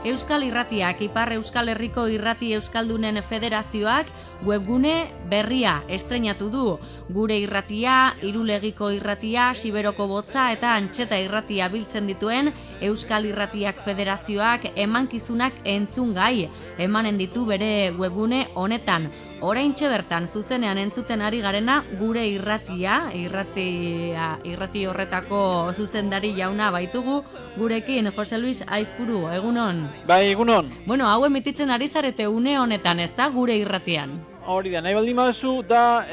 Euskal Irratiak, Ipar Euskal Herriko Irrati Euskaldunen Federazioak webgune berria estreinatu du. Gure irratia, Irulegiko irratia, Siberoko botza eta Antxeta irratia biltzen dituen Euskal Irratiak Federazioak emankizunak entzungai emanen ditu bere webgune honetan. Oraintxe bertan zuzenean entzuten ari garena gure irratia, irrati horretako zuzendari jauna baitugu gurekin, Jose Luis Aizpuru, egunon? Bai, egunon. Bueno, hau emititzen ari zarete une honetan, ez da, gure irratian? Hori da, nahi baldin baduzu da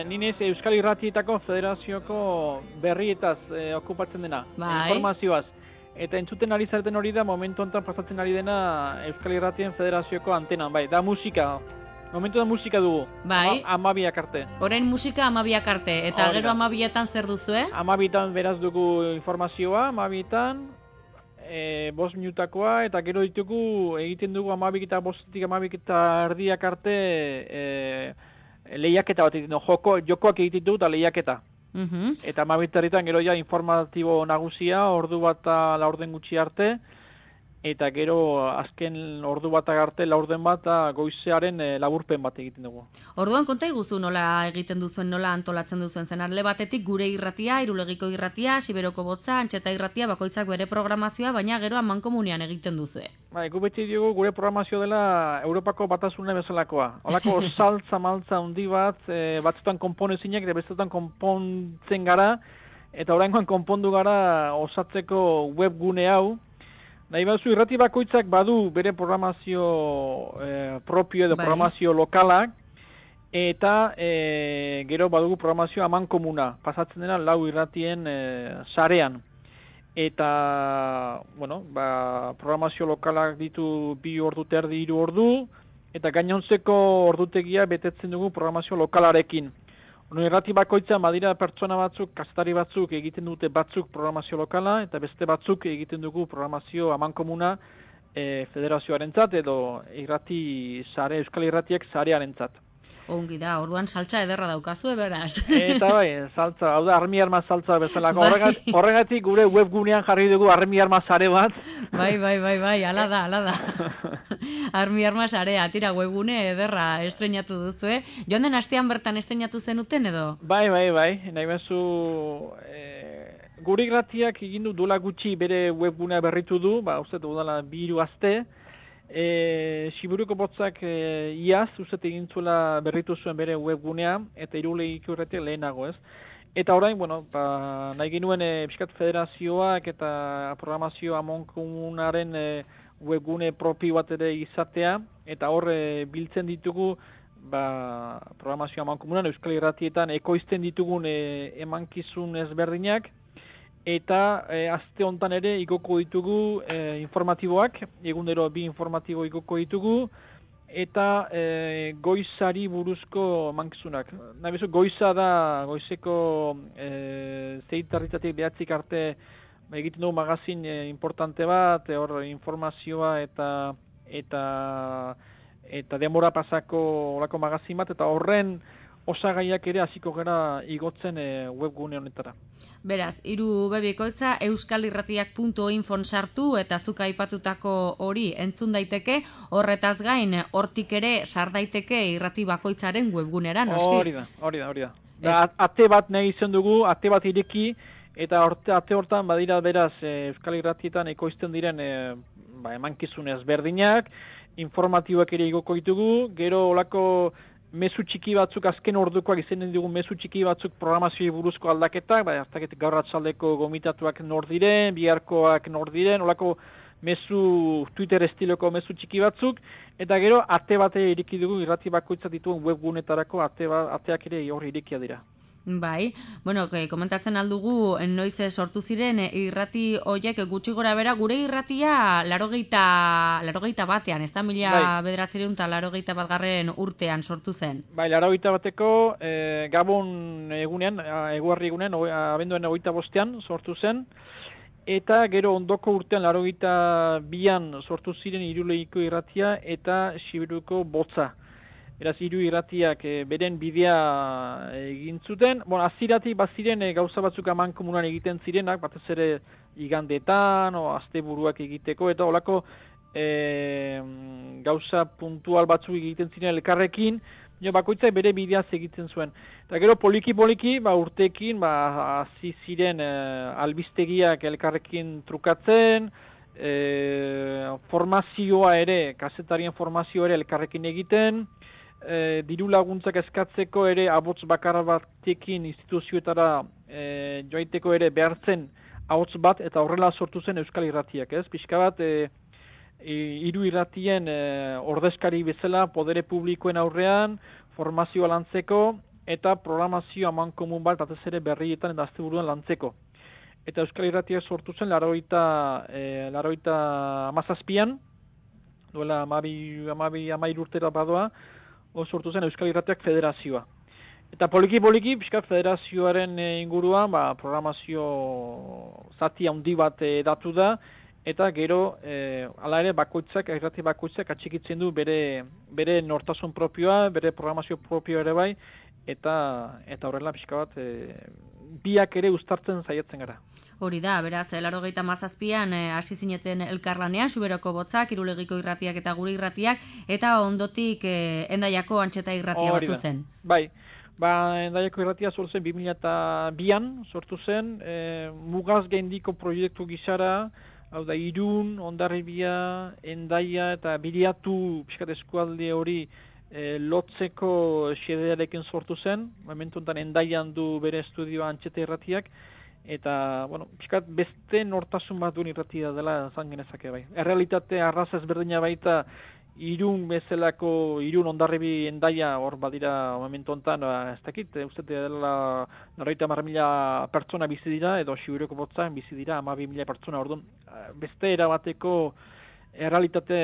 ninez Euskal Irratietako Federazioko berrietaz okupatzen dena, informazioaz. Eta entzuten ari zareten hori da, momentu honetan pasatzen ari dena Euskal Irratien Federazioko antenan, bai, da musika. Momentu da musika dugu, bai. 12 arte. Orain musika 12 arte, eta gero 12etan zer duzu, 12etan beraz dugu informazioa, 12etan, 5 minutakoa, eta gero ditugu egiten dugu 12 eta 5 eta erdiak arte lehiaketa bat egiten dugu, jokoak egiten dugu eta lehiaketa. Eta 12 herritan gero ja informatibo nagusia, ordu bat eta laurden gutxi arte, eta gero azken ordu bat arte laurden bat goizearen laburpen bat egiten dugu. Orduan konta iguzu nola egiten duzuen, nola antolatzen duzuen zen. Alde batetik gure irratia, Irulegiko irratia, Siberoko botza, Antxeta irratia, bakoitzak bere programazioa, baina gero amankomunean egiten duzue. Bai, gu beti dugu gure programazio dela Europako Batasuna bezalakoa. Holako saltza maltza handi bat, batzutan konponezinak eta bestetan konpontzen gara, eta oraingoan konpondu gara osatzeko webgune hau. Nahi baduzu, irrati bakoitzak badu bere programazio propio edo programazio lokalak, eta gero badugu programazio amankomuna, pasatzen dena 4 irratien sarean. Eta, bueno, programazio lokalak ditu 2 ordu terdi 3 ordu, eta gainontzeko ordutegia betetzen dugu programazio lokalarekin. Irrati bakoitza badira pertsona batzuk, kazetari batzuk egiten dute batzuk programazio lokala, eta beste batzuk egiten dugu programazio amankomuna federazioarentzat edo irrati sare, Euskal Irratiak sarearentzat. Ongi da, orduan saltza ederra daukazu, beraz. Eta bai, saltza, hau da, armi arma saltza bezalako. Horregatik gure webgunean jarri dugu armi arma sare bat. Bai, ala da. Armi arma sarea, tira, webgune ederra estreinatu duzu, Joan den astean bertan estreinatu zenuten edo? Bai, nahi bezu... Gure irratiak egin du dola gutxi bere webgunea berritu du, uste dela 2 aste. Siberoko botzak iaz, uste egin zuela berritu zuen bere webgunea, eta Irulegiko irratiak lehenago, ez? Eta orain, nahi genuen Piskat Federazioak eta programazio amankomunaren webgune propio bat ere izatea, eta hor biltzen ditugu programazio amankomunan Euskal Irratietan ekoizten ditugun emankizun ezberdinak, eta aste hontan ere igoko ditugu informatiboak, egunero 2 informatibo igoko ditugu, eta goizari buruzko emankizunak. Nahi bezu, goiza da, goizeko 6:00 9:00 arte egiten dugu magazin importante bat, hor informazioa eta denbora pasako olako magazin bat, eta horren osagaiak ere hasiko gara igotzen webgune honetara. Beraz, irubebikoitza euskalirratiak.infon sartu eta zuk aipatutako hori entzun daiteke, horretaz gain hortik ere sar daiteke irrati bakoitzaren webgunera, noski? Hori da. Ate bat nahi izan dugu, ate bat ireki, eta ate hortan badira beraz Euskal Irratietan ekoizten diren emankizun ezberdinak, informatiboak ere igoko ditugu, gero olako mezu txiki batzuk, azken ordukoak izanen dugu mezu txiki batzuk programazioa buruzko aldaketak, gaur atzaldeko gomitatuak nor diren, biharkoak nor diren, olako mezu Twitter estiloko mezu txiki batzuk, eta gero ate bat ireki dugu irrati bakoitza dituen webgunetarako ateak ere hor irekia dira. Bai, bueno, komentatzen aldugu noiz sortu ziren irrati hoiek gutxi gora bera, gure irratia 81 batean, ez da 1981 urtean sortu zen. Bai, 81 bateko Gabon egunean, eguerri egunean, abenduaren 25ean sortu zen, eta gero ondoko urtean 82an sortu ziren Irulegiko irratia eta Siberoko botza. Beraz, 3 irratiak beren bidea egin zuten. Aziratik baziren gauza batzuk amankomunan egiten zirenak, batez ere igandetan, asteburuak egiteko, eta holako gauza puntual batzuk egiten ziren elkarrekin, bakoitzak bere bideaz egiten zuen. Eta gero poliki-poliki, urteekin, hasi ziren albistegiak elkarrekin trukatzen, formazioa ere, kazetarien formazioa ere elkarrekin egiten, diru laguntzak eskatzeko ere abots bakar batekin instituzioetara joaiteko ere behartzen ahots bat, eta horrela sortu zen Euskal Irratiak, ez? Pixka bat, hiru irratien ordezkari bezala podere publikoen aurrean, formazioa lantzeko, eta programazio amankomun bat, batez ere berrietan eta asteburuan lantzeko. Eta Euskal Irratiak sortu zen, laroita amazazpian, duela amairu urtera badoa, sortu zen Euskal Irratiak federazioa. Eta poliki-poliki, pixkat federazioaren inguruan, programazio zati handi bat datu da, eta gero, hala ere, irrati bakoitzak atxikitzen du bere nortasun propioa, bere programazio propioa ere bai, eta horrela pixka bat, biak ere uztartzen saiatzen gara. Hori da, beraz, 97an hasi zineten elkarlanean, Xuberoko Botzak, Irulegiko irratiak eta gure irratiak, eta ondotik Hendaiako Antxeta irratia batu zen. Bai, Hendaiako irratia sortu zen 2002an, sortu zen, mugaz gaindiko proiektu gisara, hau da, Irun, Hondarribia, Hendaia eta Biriatu pixkat eskualde hori lotzeko xedearekin sortu zen, momentu honetan Hendaian du bere estudioa Antxeta irratiak, eta, pixkat beste nortasun bat duen irratia dela zan genezake bai. Errealitate arraz ezberdina baita Irun bezalako, Irun, Hondarribi, Hendaia hor badira momentu honetan, ez dakit, uste dela 90.000 pertsona bizi dira, edo Xuberoko Botzan bizi dira 12.000 pertsona, orduan beste erabateko errealitate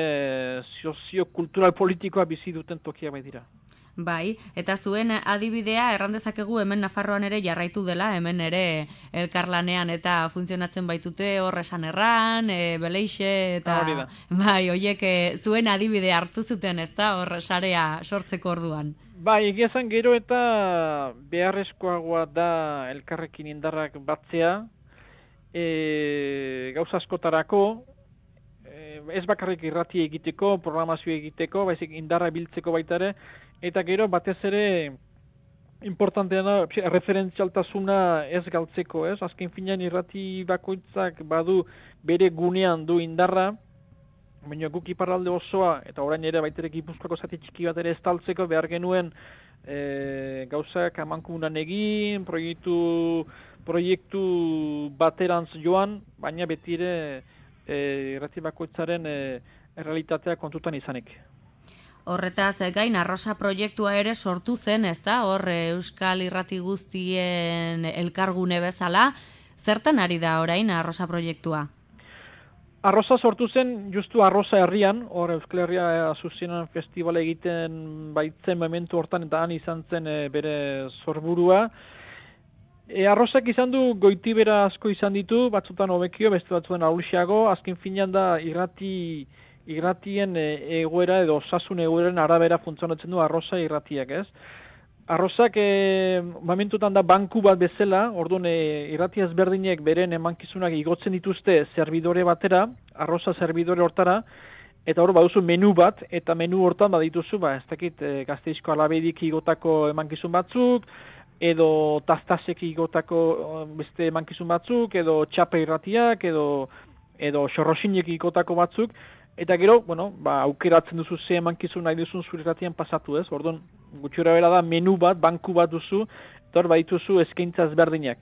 sozio-kultural politikoa bizi duten tokia bai dira. Bai, eta zuen adibidea errandezakegu hemen Nafarroan ere jarraitu dela, hemen ere elkarlanean eta funtzionatzen baitute horresan erran, beleixe eta... Bai, oiek zuen adibidea hartu zuten, ez da, sarea sortzeko orduan. Bai, egiazan gero eta beharrezkoagoa da elkarrekin indarrak batzea, gauza askotarako, ez bakarrik irrati egiteko, programazio egiteko, baizik indarra biltzeko baita ere, eta gero batez ere importantea da referentzialtasuna ez galtzeko, ez? Azken finean irrati bakoitzak badu bere gunean du indarra, baina guk iparralde osoa, eta orain ere baitere Gipuzkoako zati txiki bat ere estaltzeko behar genuen gauzak amankomunan egin, proiektu baterantz joan, baina beti ere irrati bakoitzaren errealitatea kontutan izanik. Horretaz gain Arrosa proiektua ere sortu zen, ez da? Hor Euskal Irrati guztien elkargune bezala, zertan ari da orain Arrosa proiektua? Arrosa sortu zen justu Arrosa herrian, hor Euskal Herria Asuzionan festivala egiten baitzen momentu hortan eta han izan zen bere sorburua. Arrosak izan du goitibera asko izan ditu, batzutan hobekio, beste batzutan ahulxiago, azken finean da irratien egoera edo osasun egoeren arabera funtzionatzen du Arrosa irratiak, ez? Arrosak momentutan da banku bat bezala, orduan irrati ezberdinek beren emankizunak igotzen dituzte zerbidore batera, Arrosa zerbidore hortara, eta hor baduzu menu bat, eta menu hortan badituzu, ez dakit Gasteizko Alabedik igotako emankizun batzuk, edo Tastasek igotako beste emankizun batzuk, edo Txape irratiak, edo Xorrosinek igotako batzuk, eta gero, aukeratzen duzu ze emankizun nahi duzun zure irratian pasatu, ez? Orduan, gutxura bera da menu bat, banku bat duzu, eta hor badituzu eskaintza ezberdinak.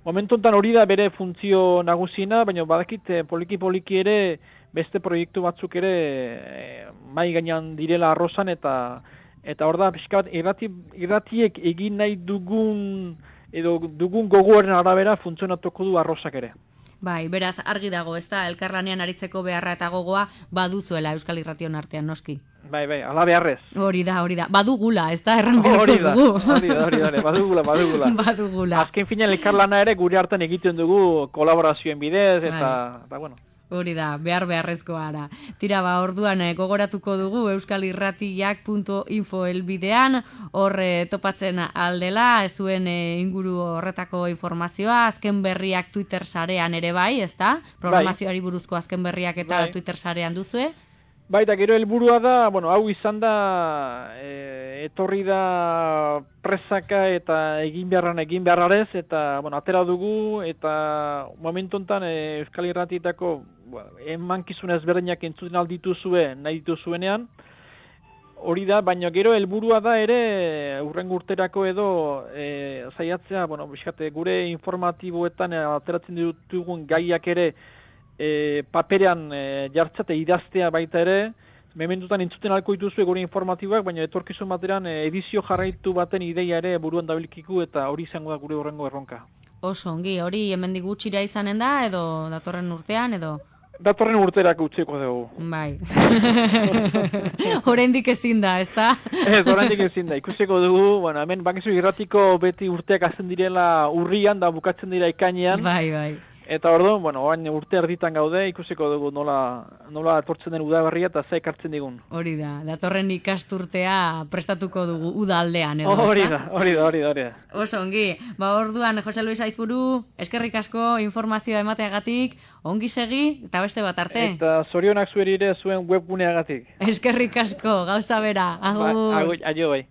Momentu honetan hori da bere funtzio nagusiena, baina badakit poliki-poliki ere beste proiektu batzuk ere mai gainean direla Arrosan, eta hor da, pixka bat, irratiek egin nahi dugun gogoaren arabera funtzionatuko du Arrosak ere. Bai, beraz, argi dago, ez da, elkarlanean aritzeko beharra eta gogoa baduzuela Euskal Irration artean, noski. Bai, ala beharrez. Hori da. Badugula, ez da, erran beharko dugu. Hori da, badugula. Azken finean elkarlana ere gure hartan egiten dugu kolaborazioen bidez, eta bueno. Hori da, beharrezkoa ara. Tira, orduan gogoratuko dugu euskalirratiak.info helbidean, hor topatzen aldela, zuen inguru horretako informazioa, azken berriak Twitter sarean ere bai, ezta? Programazioari buruzko azken berriak eta Twitter sarean duzue? Bai, eta gero helburua da, hau izan da, etorri da presaka eta egin beharrarez, eta, atera dugu, eta momentu honetan Euskal Irratietako emankizun ezberdinak entzuten aldituzue, nahi dituzuenean, hori da, baina gero helburua da ere, hurrengo urterako edo, zaiatzea, gure informatiboetan ateratzen ditugun gaiak ere, paperean jartzate idaztea baita ere, mementutan entzuten alko dituzue gure informatiboak, baina etorkizun bateran edizio jarraitu baten ideia ere buruan dabilkiku eta hori izango da gure horrengo erronka. Oso ongi, hori hemendik gutxira izanen da edo datorren urtean edo? Datorren urterak utziko dugu. Bai. Oraindik ezin da, ezta? Ez, oraindik ezin da. Ikusiko dugu, hemen Bakizu Irratiko beti urteak hasten direla urrian da bukatzen dira ekainean. Bai. Eta orduan, orain urte erditan gaude, ikusiko dugu nola etortzen den udaberria eta ze ekartzen digun. Hori da, datorren ikasturtea prestatuko dugu udaldean, edo, hori da. Oso ongi, orduan, Jose Luis Aizpuru, eskerrik asko informazioa emateagatik, ongi segi, eta beste bat arte. Eta zorionak zuerire zuen webguneagatik. Eskerrik asko, gauza bera, agur. Aio bai.